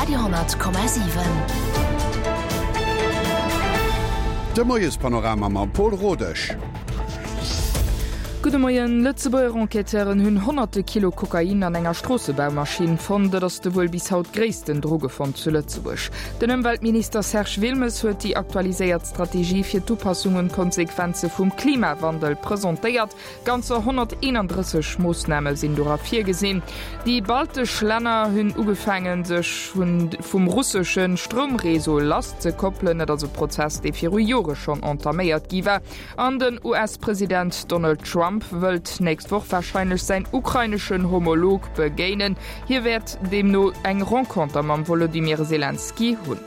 Radio 10,7. De Moiespanorama mam Pol Rodesch. Gudde Moien. Lëtzebuerger Enquêteuren hunn honnerte Kilo Kokain an enger Stroossebaumaschinn fonnt. Dat ass de wuel bis haut gréissten Drogefond zu Lëtzebuerg. Den Ëmweltminister Serge Wilmes huet déi aktualiséiert Strategie fir d'Upassung un d'Konsequenze vum Klimawandel presentéiert. Ganzer 131 Moossname sinn dora virgesinn. Déi baltesch Länner hunn ugefaangen, sech vum russesche Stroumreseau lasszekoppelen. Et ass e Prozess, dee viru Jore schonn entaméiert gi war. An den US-President Donald Trump wëllt d'nächst Woch warscheinlech säin ukraineschen Homolog begéinen. Hie wäert deemno eng Renconter mam Wolodymyr Selenskyj hunn.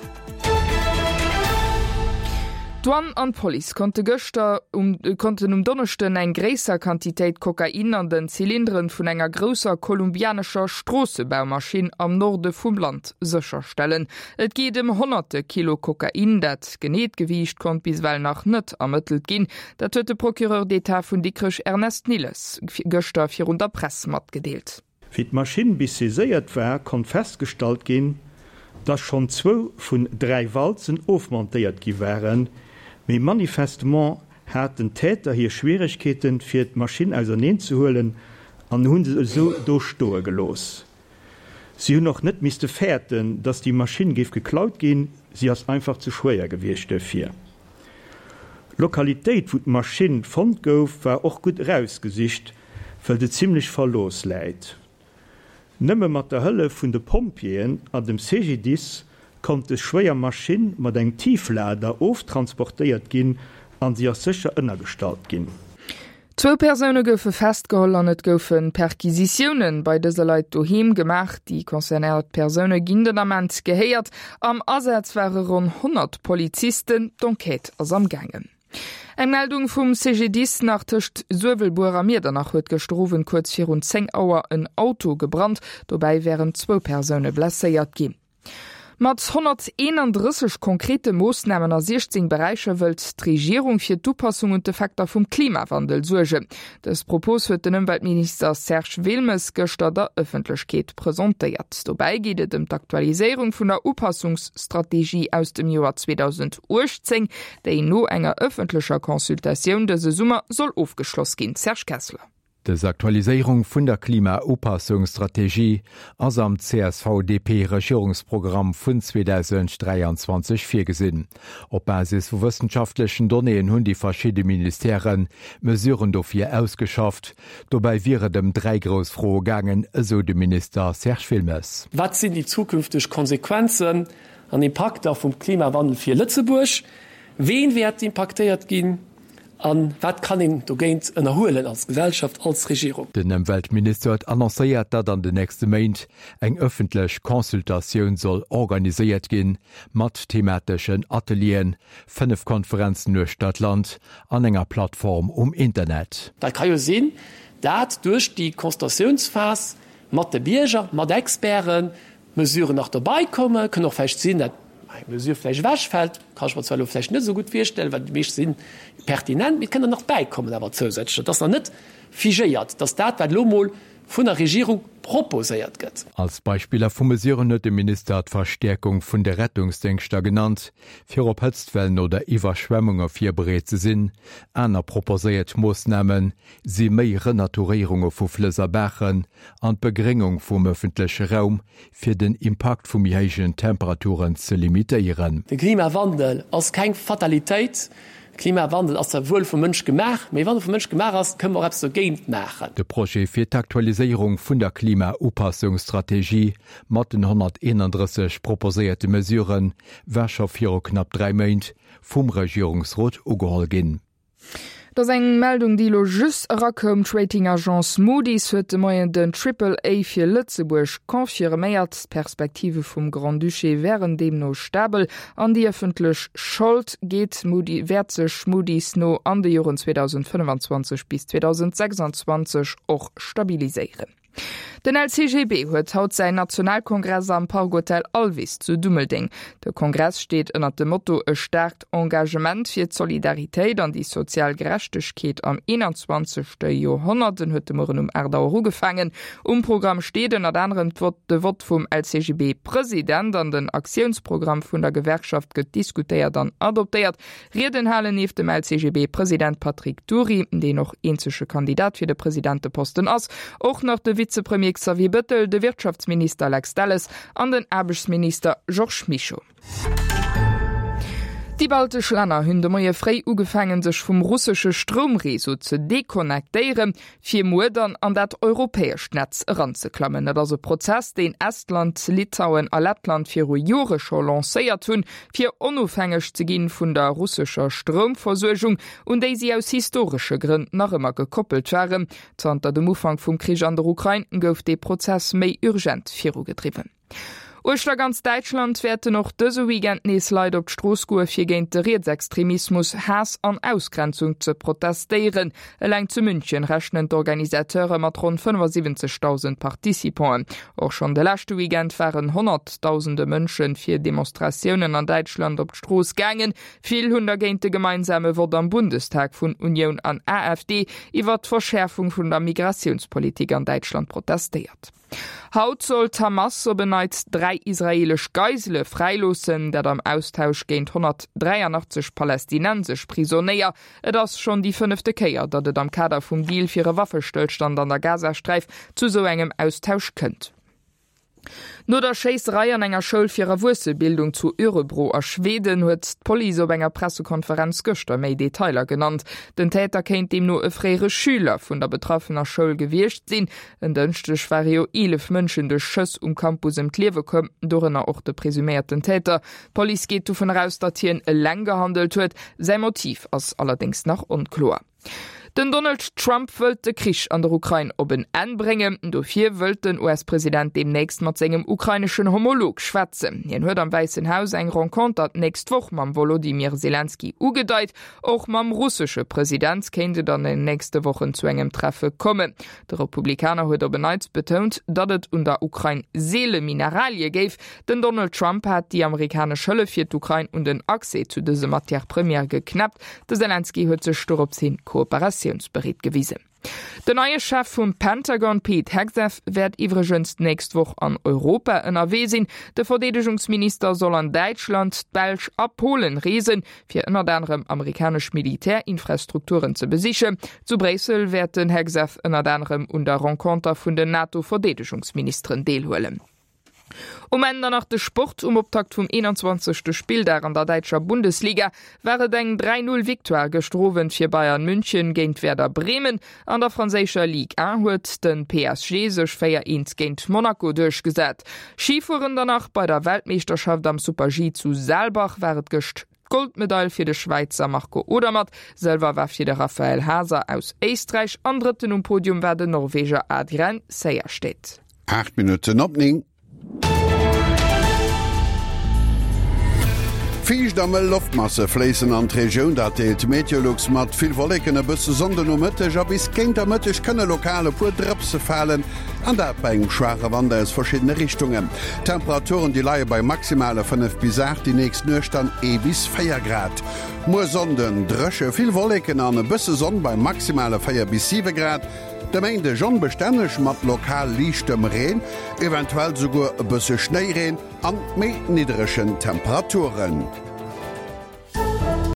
D'Douane an d'Police konnte gëschter um konnten um Donneschden eng gréisser Quantitéit Kokain an den Zylinderen vun enger grousser kolumbianescher Stroossebaumaschinn am Norde vum Land sécherstellen. Et geet ëm honnerte Kilo Kokain. Dat geneet Gewiicht konnt bis ewell nach net ermëttelt ginn. Dat huet de Procureur d'État vun Dikrech Ernest Nilles gëschter virun der Press matgedeelt. Wéi d'Maschinn bis saiséiert war, konnt festgestallt ginn, dass schonn zwou vun 3 Walzen ofmontéiert gi waren, mee manifestement haten d'Täter hir Schwieregkeeten, fir d'Maschinn auserneen ze huelen an hu se esou do stoe gelooss. Si hunn och net misste fäerten, dass déi Maschinn géif geklaut ginn, si ass einfach ze schwéier gewiescht duerfir. D'Lokalitéit, wou d'Maschinn fonnt gouf, war och gutt erausgesicht, well se zimmlech verlooss läit. Nëmme mat der Hëllef vun de Pompjeeën an dem CGDIS konnt des schwéier Maschinn mat engem Tieflader oftransportéiert ginn an si ass sécher ënnergestallt ginn. Zwou Persoune goufe festgeholl an et goufe Perquisitioune bei dëse Leit doheem gemaach. Déi concernéiert Persoune ginn den Ament gehéiert. Am Asaz ware ronn 100 Polizisten. D'Enquête ass am gaangen. Eng Meldung vum CGDIS nach, Tëscht Suewelbuer a Miedernach huet gëschter Owend kuerz virun 10 Auer en Auto gebrannt. Dobäi wären zwou Persoune blesséiert ginn. Mat 131 konkrete Moossnamen a 16 Beräicher wëllt d'Regierung fir d'Upassung un d'Effekter vum Klimawandel suergen. Dës Propos huet den Ëmweltminister Serge Wilmes gëschter der Ëffentlechkeet presentéiert. Dobäi geet et ëm d'Aktualiséierung vun der Upassungsstrategie aus dem Joer 2018, déi no enger ëffentlecher Consultatioun dëse Summer soll ofgeschloss ginn. Serge Kessler. Dës Aktualiséierung vun der Klimaupassungsstrategie ass am CSV-DP-Regierungsprogramm vun 2023 virgesinn. Op Basis vu wëssenschaftlechen Donnéeën hunn déi verschidde Ministèren Mesuren dofir ausgeschafft. Dobäi wier et ëm 3 grouss Froe gaangen, esou de Minister Serge Wilmes. Wat sinn déi zukünfteg Konsequenzen an Impakter vum Klimawandel fir Lëtzebuerg? Ween wäert impaktéiert ginn? A wat kann een dogéint ënnerhuelen als Gesellschaft, als Regierung? Den Ëmweltminister huet annoncéiert, datt an den nächste Méint eng ëffentlech Consultatioun soll organiséiert ginn, mat themateschen Atelieren, 5 Konferenzen uechter d'Land an enger Plattform um Internet. Dat ka jo sinn, dat duerch déi Consultatiounsphas mat de Bierger, mat Experten, Mesuren nach dobei kommen. Kënn och vläicht sinn, dat eng Mesure vläicht ewechfält, kann ech mer zwar elo vläicht net esou gutt virstellen, well déi meescht si pertinent, mee et kënn der nach bäikommen awer zousätzlech. Et ass nach net figéiert, dass dat, wat elo emol vun der Regierung proposéiert gëtt. Als Beispiller vu Mesuren huet de Minister d'Verstäerkung vun de Rettungsdéngschter genannt, fir op Hëtztwellen oder Iwwerschwemmunge virbereet ze sinn. Aner proposéiert Moossname si méi Renaturéierunge vu Flëss a Baachen an d'Begréngung vum ëffentleche Raum, fir den Impakt vu méi héijen Temperaturen ze limitéieren. De Klimawandel ass keng Fatalitéit. Klimawandel ass zwar wuel vum Mënsch gemaach, mee wann e vum Mënsch gemaach ass, kënne mer och eppes dogéint maachen. De Projet fir d'Aktualiséierung vun der Klimaupassungsstrategie mat den 131 proposéierte Mesurë war scho viru knapp 3 Méint vum Regierungsrot ugeholl ginn. Et ass eng Meldung, déi elo just erakoum, D'Rating-Agence Moody's huet de Moien den Triple A fir Lëtzebuerg confirméiert. D'Perspektive vum Grand-Duché wären deemno stabel an déi ëffentlech Schold geet Moody wäert sech Moody's no an de Joren 2025 bis 2026 och stabiliséieren. Den LCGB huet haut säin Nationalkongress am Park Hotel Alvis zu Dummeldeng. De Kongress steet ënnert dem Motto E staarkt Engagement fir d'Solidaritéit an déi sozial Gerechtegkeet am 21. Joerhonnert. En huet de Mueren um 8 Auer ugefaangen. Um Programm steet ënnert anerem de Vott vum LCGB-President an den Aktiounsprogramm vun der Gewerkschaft gëtt diskutéiert an adoptéiert. Rieden halen nieft dem LCGB-President Patrick Dury, deen och eenzege Kandidat fir de Presidenteposten ass, och nach de Vizepremier Xavier Bëttel, de Wirtschaftsminister Lex Delles an den Aarbechtsminister Georges Mischo. Déi baltesch Länner hunn de Moie fréi ugefaangen, sech vum russesche Stroumreseau ze deconnectéieren. fir muer dann an dat europäescht Netz eranzeklammen. Dat ass e Prozess, deen Estland, Litauen a Lettland viru Jore scho lancéiert hunn, fir onofhängeg ze ginn vun der russescher Stroumversuergung, un déi si aus historesche Grënn nach ëmmer gekoppelt waren. Zanter dem Ufank vum Krich an der Ukrain gouf dee Prozess méi urgent virugedriwwen. Uechter ganz Däitschland wäerten och dëse Weekend nees Leit op d'Strooss goe fir géint de Rietsextremismus, Haass an Ausgrenzung ze protestéieren. Eleng zu München rechnen d'Organisateure mat ronn 75.000 Participanten. Och schonn de leschte Weekend waren honnertdausende Mënsche fir Demonstratiounen an Däitschland op d'Strooss gaangen. Vill hunn dergéint de gemeinsame Vott am Bundestag vun Unioun an AfD iwwert d'Verschäerfung vun der Migratiounspolitik an Däitschland protestéiert. Haut soll d'Hamas op en Neits 3 israeelesch Geisele fräiloossen, dat am Austausch géint 183 palästinensesch Prisonéier. Et ass schonn déi fënnefte Kéier, datt et am Kader vum Deal fir e Waffestëllstand an der Gazasträif zu sou engem Austausch kënnt. No der Schéisserei an enger Schoul fir Erwuessebildung zu Örebro a Schweden huet d'Police op enger Pressekonferenz gëschter méi Detailer genannt. Den Täter kéint deemno e fréiere Schüler vun der betraffener Schoul gewiescht sinn. En Dënschdeg ware jo 11 Mënschen duerch Schëss um Campus ëm d'Liewe komm, dorënner och de presuméierten Täter. D'Police geet dovun eraus, datt hien eleng gehandelt huet. Säi Motiv ass allerdéngs nach onkloer. Den Donald Trump wëllt de Krich an der Ukrain op en Enn bréngen. Dofir wëllt den US-President deemnächst mat sengem ukraineschen Homolog schwätzen. Hien huet am Wäissen Haus eng Renconter d'nächst Woch mam Wolodymyr Selenskyj ugedeit. Och mam russesche President kéint et an den nächste Wochen zu engem Treffe kommen. De Republikaner huet op en Neits betount, datt et un der Ukrain seele Mineralie géif. Den Donald Trump hat déi amerikanesch Hëllef fir d'Ukrain un den Accès zu dëse Matières premières geknäppt. De Selenskyj huet sech dorops hin kooperatiounsbereet gewisen. Den neie Chef vum Pentagon Pete Hegseth wäert iwwregens d'nächst Woch an Europa ënnerwee sinn. De Verdeedegungsminister soll an Däitschland, d'Belsch a Polen reesen. fir ënnert anerem amerikanesch Militärinfrastrukturen ze besichen. Zu Bréissel wäert den Hegseth ënnert anerem un der Renconter vun den NATO-Verdeedegungsministeren deelhuelen. Um Enn dann nach de Sport, Um Optakt vum 21. Spilldag an der däitscher Bundesliga war et eng 3, 0 Victoire gëschter Owend fir Bayern München géint Werder Bremen. An der franséischer Ligue 1 huet de PSG sech 4, 1 géint Monaco duerchgesat. Schifueren dann nach, Bei der Weltmeeschterschaft am Super-G zu Saalbach war et gëscht d'Goldmedail fir de Schwäizer Marco Odermatt, Sëlwer war fir de Raphael Haaser aus Éisträich an Drëtten um Podium war den Norweger Adrian Sejersted. 8 Minutten op 9. Fiicht a mëll Loftmasse fléissen an d'Regioun, dat deelt Meteolux mat. Vill Wolleken, e bësse Sonn de Nomëtteg a bis géint der Mëtteg kënne lokal e puer Drëpse falen, an dat bei engem schwaache Wand aus verschiddene Richtungen. D'Temperaturen, déi leie bei maximale 5 bis 8, déi nächst Nuecht dann ee bis 4 Grad. Muer Sonnden dréche, vill Wolleken an e bësse Sonn bei maximale 4 bis 7 Grad. De Méindeg onbestänneg mat lokal liichtem Reen, eventuell souguer e bësse Schnéireen an méi nidderegen Temperaturen.